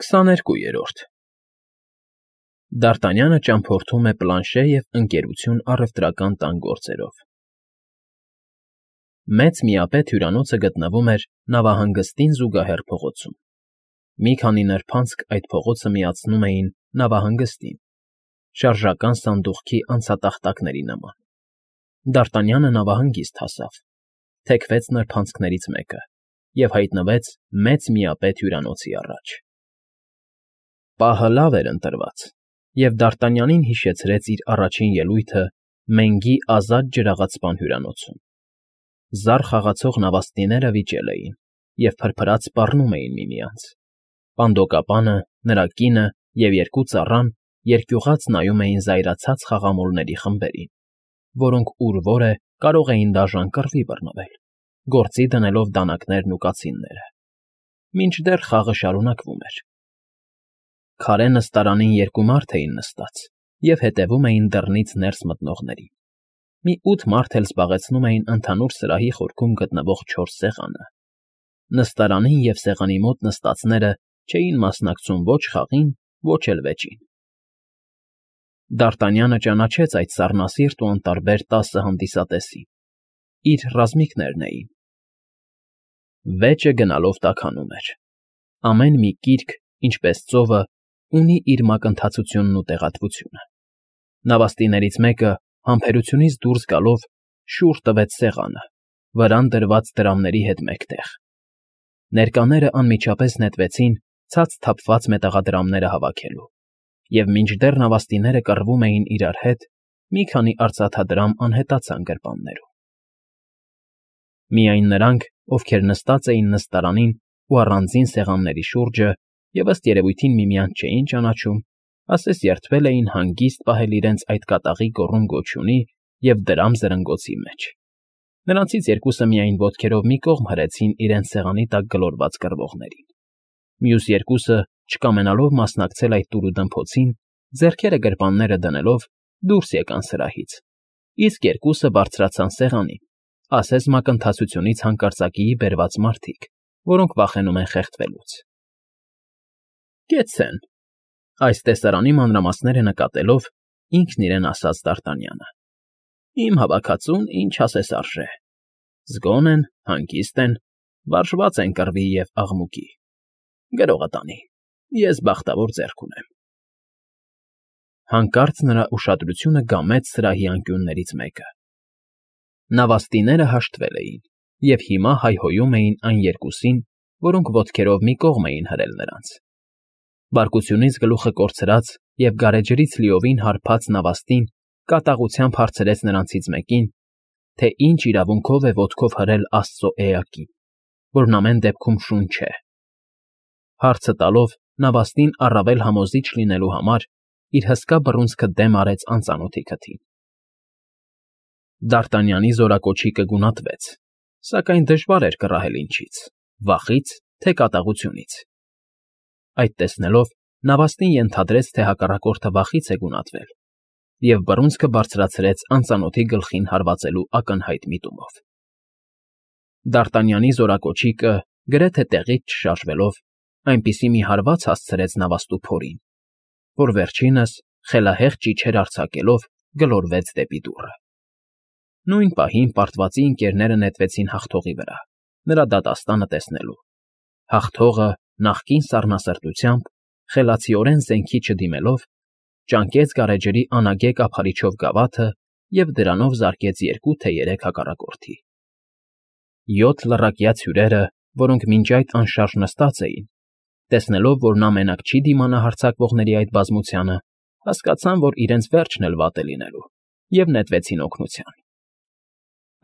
22-րդ Դ'Արտանյանը ճամփորդում է Պլանշե և Ընկերություն առևտրական տան գործերով։ Մեծ միապետ հյուրանոցը գտնվում էր նավահանգստին զուգահեռ փողոցում։ Մի քանի նրբանցք այդ փողոցը միացնում էին նավահանգստին, շարժական սանդուղքի անցատախտակների նման։ Դ'Արտանյանը նավահանգիստ հասավ, թեքվեց նրբանցքներից մեկը և հայտնվեց մեծ միապետ հյուրանոցի առաջ։ Պահը լավ էր ընտրված, և Դ'Արտանյանին հիշեցրեց իր առաջին ելույթը Մենգի ազատ ջրաղացպան հյուրանոցում։ Զառ խաղացող նավաստիները վիճել էին և փրփրած սպառնում էին միմյանց։ Պանդոկապանը, նրա կինը և երկու ծառան երկյուղած նայում էին զայրացած խաղամոլների խմբերին, որոնք ուր որ է կարող էին դաժան կռվի բռնվել, գործի դնելով դանակներն ու կացինները։ Մինչդեռ խաղը շարունակվում էր։ Քարե նստարանին երկու մարդ էին նստած և հետևում էին դռնից ներս մտնողներին։ Մի 8 մարդ էլ զբաղեցնում էին ընդհանուր սրահի խորքում գտնվող 4 սեղանը։ Նստարանին և սեղանի մոտ նստածները չէին մասնակցում ոչ խաղին, ոչ էլ վեճին։ Դ'Արտանյանը ճանաչեց այդ սառնասիրտ ու անտարբեր 10 հանդիսատեսին։ Իր ռազմիկներն էին։ Վեճը գնալով տաքանում էր։ Ամեն մի կիրք, ինչպես ծովը, ունի իր մակընթացությունն ու տեղատվությունը։ Նավաստիներից մեկը համբերությունից դուրս գալով շուռ տվեց սեղանը, վրան դրված դրամների հետ մեկտեղ։ Ներկաները անմիջապես նետվեցին ցած թափված մետաղադրամները հավաքելու, և մինչդեռ նավաստիները կռվում էին իրար հետ, մի քանի արծաթադրամ անհետացան գրպաններում։ Միայն նրանք, ովքեր նստած էին նստարանին ու առանձին սեղանների շուրջը և ըստ երևույթին միմյանց չէին ճանաչում, ասես երդվել էին հանգիստ պահել իրենց այդ կատաղի գոռում֊գոչյունի և դրամ֊զրնգոցի մեջ։ Նրանցից երկուսը միայն ոտքերով մի կողմ հրեցին իրենց սեղանի տակ գլորված կռվողներին։ Մյուս երկուսը, չկամենալով մասնակցել այդ տուրուդմփոցին, ձեռքերը գրպանները դնելով դուրս եկան սրահից, իսկ երկուսը բարձրացան սեղանին, ասես մակընթացությունից հանկարծակիի բերված մարդիկ, որոնք վախենում են խեղդվելուց։ Կեցցե՛ն,֊ այս տեսարանի մանրամասները նկատելով, ինքն իրեն ասաց Դ'Արտանյանը։ Իմ հավաքածուն ինչ ասես արժե։ Զգոն են, հանգիստ են, վարժված են կռվի և աղմուկի։ Գրողը տանի, ես բախտավոր ձեռք ունեմ։ Հանկարծ նրա ուշադրությունը գամեց սրահի անկյուններից մեկը։ Նավաստիները հաշտվել էին և հիմա հայհոյում էին այն երկուսին, որոնք ոտքերով մի կողմ էին հրել նրանց։ Բարկությունից գլուխը կորցրած և գարեջրից լիովին հարբած նավաստին կատաղությամբ հարցրեց նրանցից մեկին, թե ինչ իրավունքով է ոտքով հրել աստծո էակին, որն ամեն դեպքում շուն չէ։ Հարցը տալով նավաստին առավել համոզիչ լինելու համար իր հսկա բռունցքը դեմ արեց անծանոթի քթին։ Դ'Արտանյանի զորակոչիկը գունատվեց, սակայն դժվար էր կռահել ինչից՝ վախի՞ց, թե կատաղությունից։ Այդ տեսնելով նավաստին ենթադրեց, թե հակառակորդը վախից է գունատվել, և բռունցքը բարձրացրեց անծանոթի գլխին հարվածելու ակնհայտ միտումով։ Դ'Արտանյանի զորակոչիկը, գրեթե տեղից չշարժվելով, այնպիսի մի հարված հասցրեց նավաստու փորին, որ վերջինս, խելահեղ ճիչեր արձակելով, գլորվեց դեպի դուռը։ Նույն պահին պարտվածի ընկներները նետվեցին հաղթողի վրա, նրա դատաստանը տեսնելու։ Հաղթողը, նախկին սառնասրտությամբ, խելացիորեն զենքի չդիմելով, ճանկեց գարեջրի անագե կափարիչով գավաթը և դրանով զարկեց 2 թե 3 հակառակորդի։ 7 լռակյաց հյուրերը, որոնք մինչ այդ անշարժ նստած էին, տեսնելով, որ նա մենակ չի դիմանա հարձակվողների այդ բազմությանը, հասկացան, որ իրենց վերջն էլ վատ է լինելու, և նետվեցին օգնության։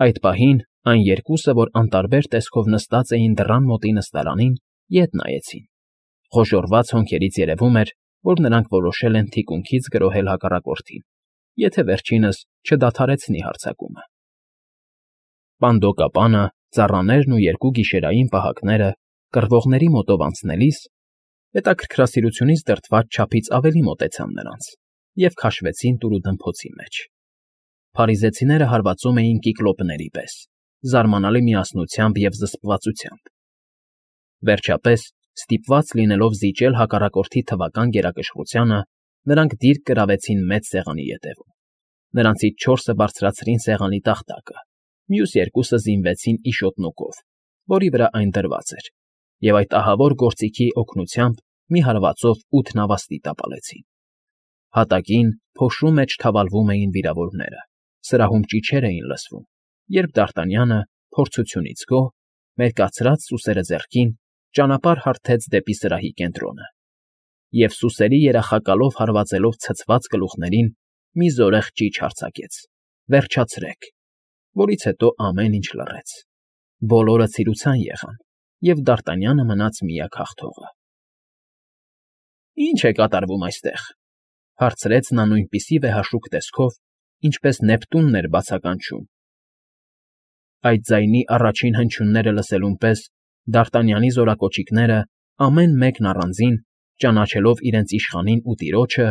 Այդ պահին այն երկուսը, որ անտարբեր տեսքով նստած էին դռան մոտի նստարանին, ետ նայեցին։ Խոժոռված հոնքերից երևում էր, որ նրանք որոշել են թիկունքից գրոհել հակառակորդին, եթե վերջինս չդադարեցնի հարձակումը։ Պանդոկապանը, ծառաներն ու 2 գիշերային պահակները կռվողների մոտով անցնելիս հետաքրքրասիրությունից դրդված չափից ավելի մոտեցան նրանց և քաշվեցին տուրուդմփոցի մեջ։ Փարիզեցիները հարվածում էին կիկլոպների պես, զարմանալի միասնությամբ և զսպվածությամբ։ Վերջապես Ստիպված լինելով զիջել հակառակորդի թվական գերակշռությանը, նրանք դիրք կրավեցին մեծ սեղանի ետևում։ Նրանցից 4-ը բարձրացրին սեղանի տախտակը, մյուս 2-ը զինվեցին իշոտնուկով, որի վրա այն դրված էր, և այդ ահավոր գործիքի օգնությամբ մի հարվածով 8 նավաստի տապալեցին։ Հատակին փոշու մեջ թավալվում էին վիրավորները, սրահում ճիչեր էին լսվում, երբ Դ'Արտանյանը, փորձությունից գոհ, մերկացրած սուսերը ձեռքին, ճանապարհ հարթեց դեպի սրահի կենտրոնը, և սուսերի երախակալով հարվածելով ցցված գլուխներին մի զորեղ ճիչ արձակեց. «Վերջացրեք», որից հետո ամեն ինչ լռեց։ Բոլորը ցիրուցան եղան, և Դ'Արտանյանը մնաց միակ հաղթողը։ «Ի՞նչ է կատարվում այստեղ», հարցրեց նա նույնպիսի վեհաշուկ տեսքով, ինչպես Նեպտունն էր բացականչում։ Այդ ձայնի առաջին հնչյունները լսելուն պես Դ'Արտանյանի զորակոչիկները, ամեն մեկն առանձին, ճանաչելով իրենց իշխանին ու տիրոջը,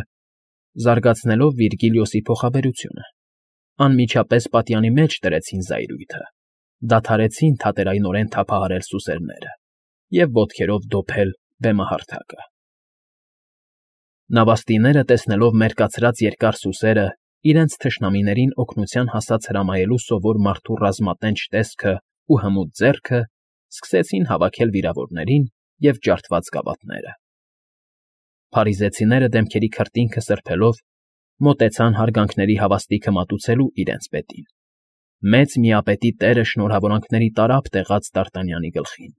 զարգացնելով Վիրգիլիոսի փոխաբերությունը, անմիջապես պատյանի մեջ դրեցին զայրույթը, դադարեցին թատերայնորեն թափահարել սուսերները և ոտքերով դոփել բեմահարթակը։ Նավաստիները, տեսնելով մերկացրած երկար սուսերը, իրենց թշնամիներին օգնության հասած հրամայելու սովոր մարդու ռազմատենչ տեսքը ու հմուտ ձեռքը, սկսեցին հավաքել վիրավորներին և ջարդված գավաթները։ Փարիզեցիները դեմքերի քրտինքը սրբելով, մոտեցան հարգանքների հավաստիքը մատուցելու իրենց պետին։ Մեծ միապետի տերը շնորհավորանքների տարափ տեղաց Դ'Արտանյանի գլխին։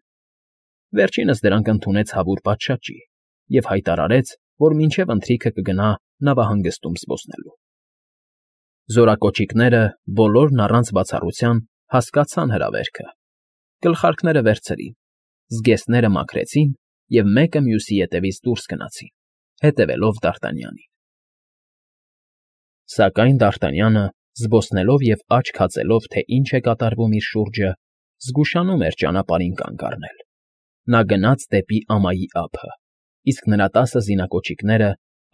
Վերջինս դրանք ընդունեց հավուր պատշաճի և հայտարարեց, որ մինչև ընթրիքը կգնա նավահանգստում զբոսնելու։ Զորակոչիկները, բոլորն առանց բացառության, հասկացան հրավերքը, գլխարկները վերցրին, զգեստները մաքրեցին և մեկը մյուսի ետևից դուրս գնացին, հետևելով Դ'Արտանյանին։ Սակայն Դ'Արտանյանը, զբոսնելով և աչք հածելով, թե ինչ է կատարվում իր շուրջը, զգուշանում էր ճանապարհին կանգ առնել։ Նա գնաց դեպի ամայի ափը, իսկ նրա 10 զինակոչիկները,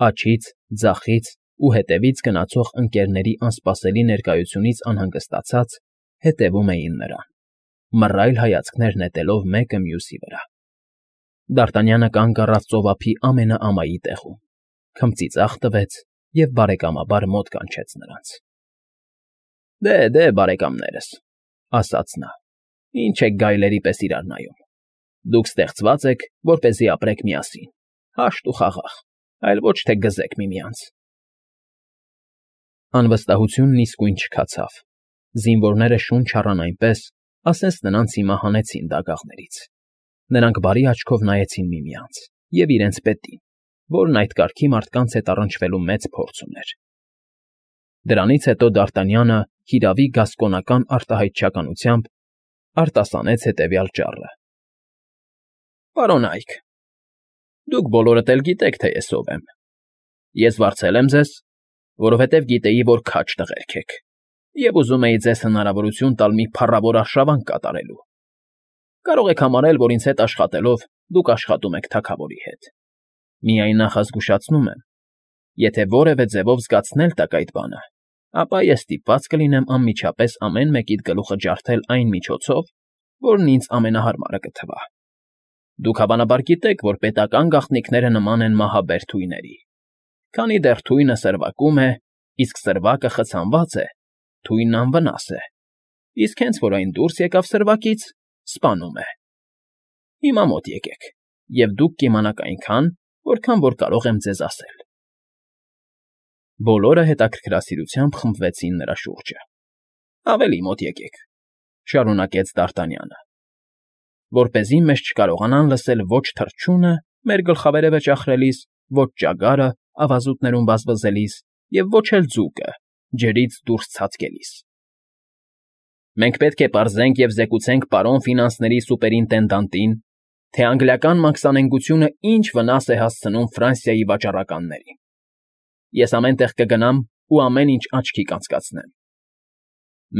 աջից, ձախից ու հետևից գնացող ընկերների անսպասելի ներկայությունից անհանգստացած, հետևում էին նրան, մռայլ հայացքներ նետելով մեկը մյուսի վրա։ Դ'Արտանյանը կանգ առավ ծովափի ամենաամայի տեղում, քմծիծաղ տվեց և բարեկամաբար մոտ կանչեց նրանց։ Դե, բարեկամներս, ասաց նա, ինչ եք գայլերի պես իրար նայում։ Դուք ստեղծված եք, որպեսզի ապրեք միասին, հաշտ ու խաղաղ, այլ ոչ թե գզեք միմյանց։ Անվստահությունն իսկույն չքացավ։ Զինվորները շունչ առան այնպես, ասես նրանց հիմա հանեցին դագաղներից։ Նրանք բարի աչքով նայեցին միմյանց և իրենց պետին, որն այդ կարգի մարդկանց հետ առնչվելու մեծ փորձ ուներ։ Դրանից հետո Դ'Արտանյանը հիրավի գասկոնական արտահայտչականությամբ արտասանեց հետևյալ ճառը. Պարոն Այք, դուք բոլորդ էլ գիտեք, թե ես ով եմ։ Ես վարձել եմ ձեզ, որովհետև գիտեի, որ քաջ տղերք եք, և ուզում էի ձեզ հնարավորություն տալ մի փառավոր արշավանք կատարելու։ Կարող եք համարել, որ ինձ հետ աշխատելով դուք աշխատում եք թագավորի հետ։ Միայն նախազգուշացնում եմ, եթե որևէ ձևով զգացնել տաք այդ բանը, ապա ես ստիպված կլինեմ անմիջապես ամեն մեկիդ գլուխը ջարդել այն միջոցով, որն ինձ ամենահարմարը կթվա։ Դուք հավանաբար գիտեք, որ պետական գաղտնիքները նման են մահաբեր թույների։ Քանի դեռ թույնը սրվակում է, իսկ սրվակը խցանված է, թույնն անվնաս է, իսկ հենց որ այն դուրս եկավ սրվակից, սպանում է։ Հիմա մոտ եկեք, և դուք կիմանաք այնքան, որքան որ կարող եմ ձեզ ասել։ Բոլորը հետաքրքրասիրությամբ խմբվեցին նրա շուրջը։ Ավելի մոտ եկեք, շարունակեց Դ'Արտանյանը, որպեսզի մեզ չկարողանան լսել ոչ թռչյունը մեր գլխավերևը ճախրելիս, ոչ ճագարը ավազուտներում վազվզելիս և ոչ էլ ձուկը ջրից դուրս ցածկելիս։ Մենք պետք է պարզենք և զեկուցենք պարոն ֆինանսների սուպերինտենդանտին, թե անգլիական մաքսանենգությունը ինչ վնաս է հասցնում Ֆրանսիայի վաճառականներին։ Ես ամեն տեղ կգնամ ու ամեն ինչ աչքի կանցկացնեմ։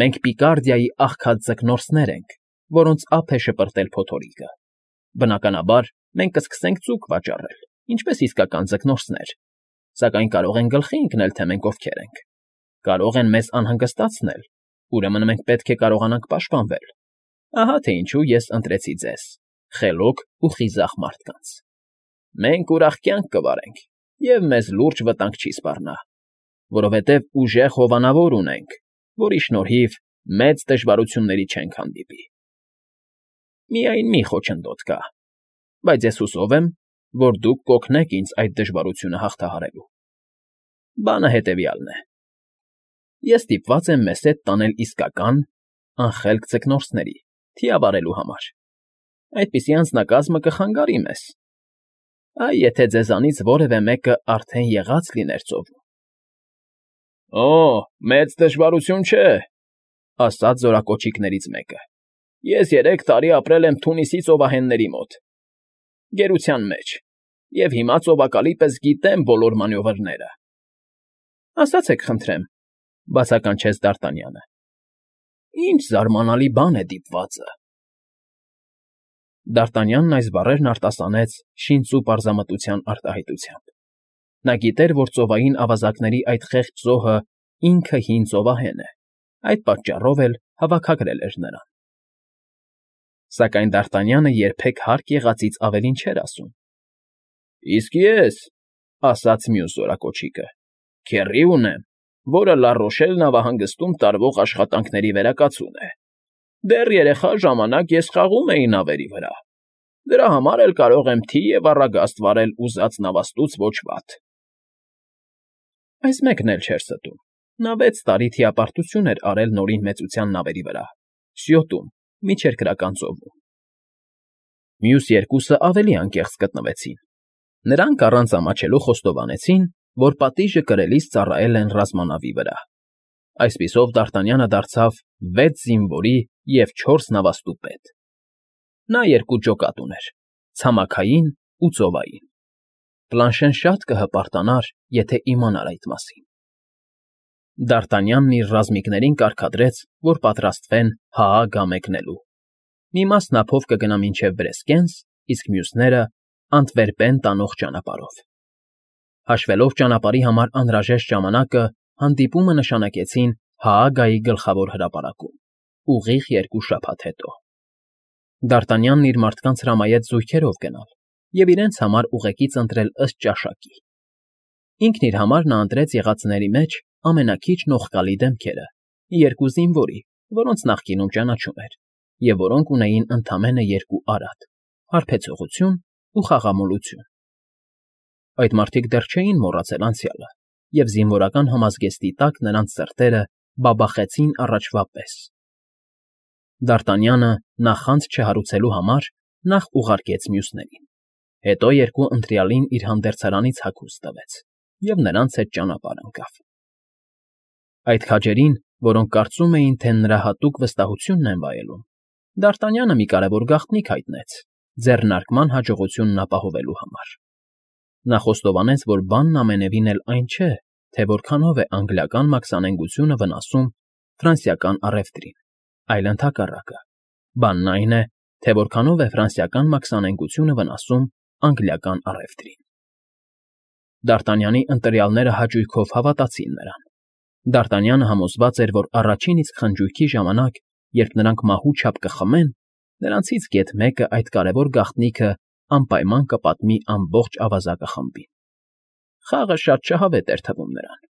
Մենք Պիկարդիայի աղքատ ձկնորսներ ենք, որոնց ափ է շպրտել փոթորիկը։ Բնականաբար, մենք կսկսենք ձուկ վաճառել, ինչպես իսկական ձկնորսներ, սակայն կարող են գլխի ընկնել, թե մենք ովքեր ենք։ Կարող են մեզ անհանգստացնել, ուրեմն մենք պետք է կարողանանք պաշտպանվել։ Ահա թե ինչու ես ընտրեցի ձեզ, խելոք ու խիզախ մարդկանց։ Մենք ուրախ կյանք կվարենք, և մեզ լուրջ վտանգ չի սպառնա, որովհետև ուժեղ հովանավոր ունենք, որի շնորհիվ մեծ դժվարությունների չենք հանդիպի։ Միայն մի խոչընդոտ կա, բայց ես հուսով եմ, որ դուք կօգնեք ինձ այդ դժվարությունը հաղթահարելու։ Բանը հետևյալն է. ես ստիպված եմ մեզ հետ տանել իսկական, անխելք ձկնորսների, թիավարելու համար։ Այդպիսի անձնակազմը կխանգարի մեզ։ Այ եթե ձեզանից որևէ մեկը արդեն եղած լիներ ծովում։ Օ, մեծ դժվարություն չէ, ասաց զորակոչիկներից մեկը։ Ես 3 տարի ապրել եմ Թունիսի ծովահենների մոտ, գերության մեջ, և հիմա ծովակալի պես գիտեմ բոլոր մանևրները։ Ասացեք խնդրեմ, բացականչեց Դ'Արտանյանը, ինչ զարմանալի բան է դիպվածը։ Դ'Արտանյանն այս բառերն արտասանեց շինծու պարզամտության արտահայտությամբ։ Նա գիտեր, որ ծովային ավազակների այդ խեղճ զոհը ինքը հին ծովահեն է, այդ պատճառով էլ հավաքագրել էր նրան։ Սակայն Դ'Արտանյանը երբեք հարկ եղածից ավելին չէր ասում։ Իսկ ես, ասաց մյուս զորակոչիկը, քեռի ունեմ, որը Լա֊Ռոշել նավահանգստում տարվող աշխատանքների վերակացուն է։ Դեռ երեխա ժամանակ ես խաղում էի նավերի վրա։ Դրա համար էլ կարող եմ թի և առագաստ վարել ուզած նավաստուց ոչ վատ։ Այս մեկն էլ չէր ստում։ Նա 6 տարի թիապարտություն էր արել Նորին Մեծության նավերի վրա, Սյոտում, Միջերկրական ծովում։ Մյուս երկուսը ավելի անկեղծ գտնվեցին։ Նրանք առանց ամաչելու խոստովանեցին, որ պատիժը կրելիս ծառայել են ռազմանավի վրա։ Այսպիսով Դ'Արտանյանը դարձավ 6 զինվորի և 4 նավաստու պետ։ Նա 2 ջոկատ ուներ՝ ցամաքային ու ծովային։ Պլանշեն շատ կհպարտանար, եթե իմանար այդ մասին։ Դ'Արտանյանն իր ռազմիկներին կարգադրեց, որ պատրաստվեն Հաագա մեկնելու։ Մի մասն ափով կգնա մինչև Բրեսկենս, իսկ մյուսները՝ Անտվերպեն տանող ճանապարհով։ Հաշվելով ճանապարհի համար անհրաժեշտ ժամանակը, հանդիպումը նշանակեցին Հաագայի գլխավոր հրապարակում, ուղիղ 2 շաբաթ հետո։ Դ'Արտանյանն իր մարդկանց հրամայեց զույգերով գնալ և իրենց համար ուղեկից ընտրել ըստ ճաշակի։ Ինքն իր համար նա ընտրեց եղածների մեջ ամենաքիչն օղկալի դեմքերը, 2 զինվորի, որոնց նախկինում ճանաչում էր, և որոնք ունեին ընդամենը 2 արատ՝ հարբեցողություն ու խաղամոլություն։ Այդ մարդիկ դեռ չէին մոռացել անցյալը, և զինվորական համազգեստի տակ նրանց սրտերը բաբախեցին առաջվա պես։ Դ'Արտանյանը, նախանձ չհարուցելու համար, նախ ուղարկեց մյուսներին, հետո 2 ընտրյալին իր հանդերձարանից հագուստ տվեց և նրանց հետ ճանապարհ ընկավ։ Այդ քաջերին, որոնք կարծում էին, թե նրա հատուկ վստահությունն են վայելում, Դ'Արտանյանը մի կարևոր գաղտնիք հայտնեց ձեռնարկման հաջողությունն ապահովելու համար։ Նա խոստովանեց, որ բանն ամենևին էլ այն չէ, թե որքանով է անգլիական մաքսանենգությունը վնասում ֆրանսիական առևտրին, այլ ընդհակառակը։ Բանն այն է, թե որքանով է ֆրանսիական մաքսանենգությունը վնասում անգլիական առևտրին։ Դ'Արտանյանի ընտրյալները հաճույքով հավատացին նրան։ Դ'Արտանյանը համոզված էր, որ առաջին իսկ խնջույքի ժամանակ, երբ նրանք մահու չափ կխմեն, նրանցից գեթ մեկը այդ կարևոր գաղտնիքը անպայման կպատմի ամբողջ ավազակը խմբին։ Խաղը շատ շահավետ էր թվում նրան։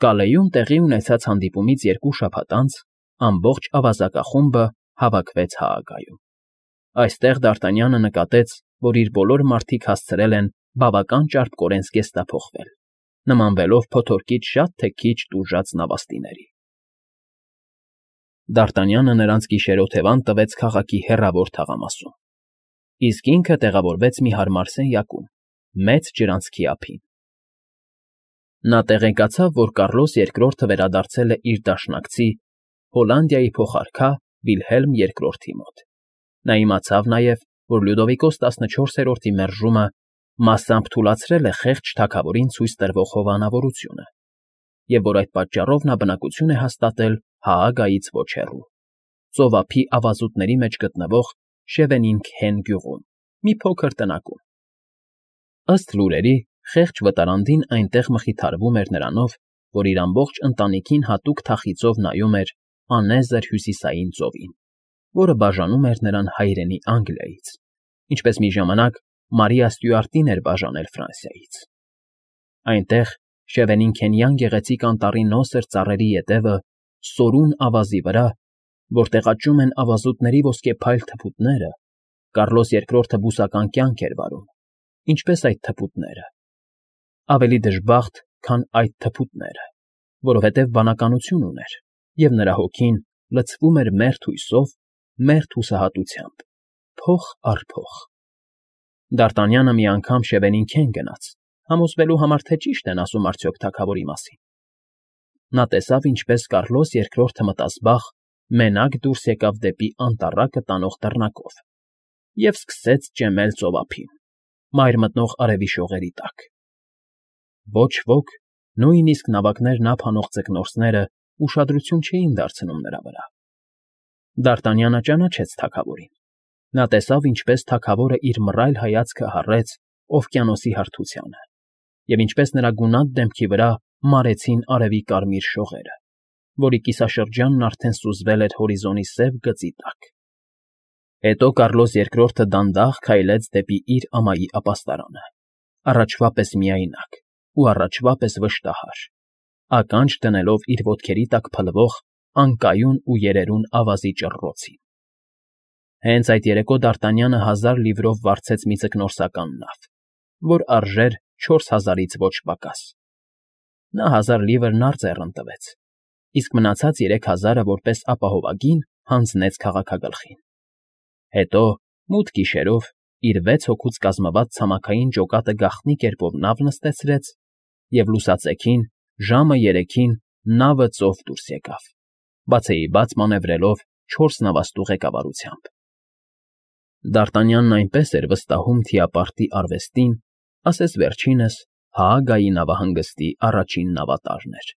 Կալեյում տեղի ունեցած հանդիպումից 2 շաբաթ անց ամբողջ ավազակախումբը հավաքվեց Հաագայում։ Այստեղ Դ'Արտանյանը նկատեց, որ իր բոլոր մարդիկ հասցրել են բավական ճարպկորեն զգեստափոխվել, նմանվելով փոթորկից շատ թե քիչ տուժած նավաստիների։ Դ'Արտանյանը նրանց գիշերօթևան տվեց քաղաքի հեռավոր թաղամասում, իսկ ինքը տեղավորվեց մի հարմար սենյակում, մեծ ջրանցքի ափին։ Նա տեղեկացավ, որ Կառլոս II-ը վերադարձել է իր դաշնակցի Հոլանդիայի փոխարքա Վիլհելմ II-ի մոտ։ Նա իմացավ նաև, որ Լյուդովիկոս 14-րդի մերժումը մասամբ թուլացրել է խեղճ թագավորին ցույց տրվող հովանավորությունը, և որ այդ պատճառով նա բնակություն է հաստատել Հաագայից ոչ հեռու, ծովափի ավազուտների մեջ գտնվող Շևենինգհեն գյուղում, մի փոքր տնակում։ Ըստ լուրերի, խեղճ վտարանդին այնտեղ մխիթարվում էր նրանով, որ իր ամբողջ ընտանիքին հատուկ թախիծով նայում էր անեզր հյուսիսային ծովին, որը բաժանում էր նրան հայրենի Անգլիայից, ինչպես մի ժամանակ Մարիա Ստյուարտին էր բաժանել Ֆրանսիայից։ Այնտեղ, Շևենինքենյան գեղեցիկ անտառի նոսր ծառերի ետևը, սորուն ավազի վրա, որտեղ աճում են ավազուտների ոսկեփայլ թփուտները, Կառլոս II բուսական կյանք էր վարում, ինչպես այդ թփուտները, ավելի դժբախտ, քան այդ թփուտները, որովհետև բանականություն ուներ, և նրա հոգին լցվում էր մերթ հույսով, մերթ հուսահատությամբ, փող առ փող։ Դ'Արտանյանը մի անգամ Շևենինքեն գնաց, համոզվելու համար, թե ճիշտ են ասում արդյոք թագավորի մասին։ Նա տեսավ, ինչպես Կառլոս II մտազբաղ մենակ դուրս եկավ դեպի անտառակը տանող դռնակով և սկսեց ճեմել ծովափին, մայր մտնող արևի շողերի տակ։ Ոչ ոք, նույնիսկ նավակներն ափ հանող ձկնորսները ուշադրություն չէին դարձնում նրա վրա։ Դ'Արտանյանը ճանաչեց թագավորին։ Նա տեսավ, ինչպես թագավորը իր մռայլ հայացքը հառեց օվկիանոսի հարթությանը, և ինչպես նրա գունատ դեմքի վրա մարեցին արևի կարմիր շողերը, որի կիսաշրջանն արդեն սուզվել էր հորիզոնի սև գծի տակ։ Հետո Կառլոս II դանդաղ քայլեց դեպի իր ամայի ապաստարանը, առաջվա պես միայնակ ու առաջվա պես վշտահար, ականջ դնելով իր ոտքերի տակ փլվող անկայուն ու երերուն ավազի ճռռոցին։ Հենց այդ երեկո Դ'Արտանյանը 1000 լիվրով վարձեց մի ձկնորսական նավ, որ արժեր 4000-ից ոչ պակաս։ Նա 1000 լիվրն արծեռն տվեց, իսկ մնացած 3000-ը որպես ապահովագին հանձնեց քաղաքագլխին։ Հետո, մութ գիշերով, իր 6 հոգուց կազմված ցամաքային ջոկատը գաղտնի կերպով նավ նստեցրեց, և լուսացեքին, ժամը 3-ին նավը ծով դուրս եկավ, բացեիբաց մանևրելով 4 նավաստու ղեկավարությամբ։ Դ'Արտանյանն այնպես էր վստահում թիապարտի արվեստին, ասես վերջինս Հաագայի նավահանգստի առաջին նավատարն էր։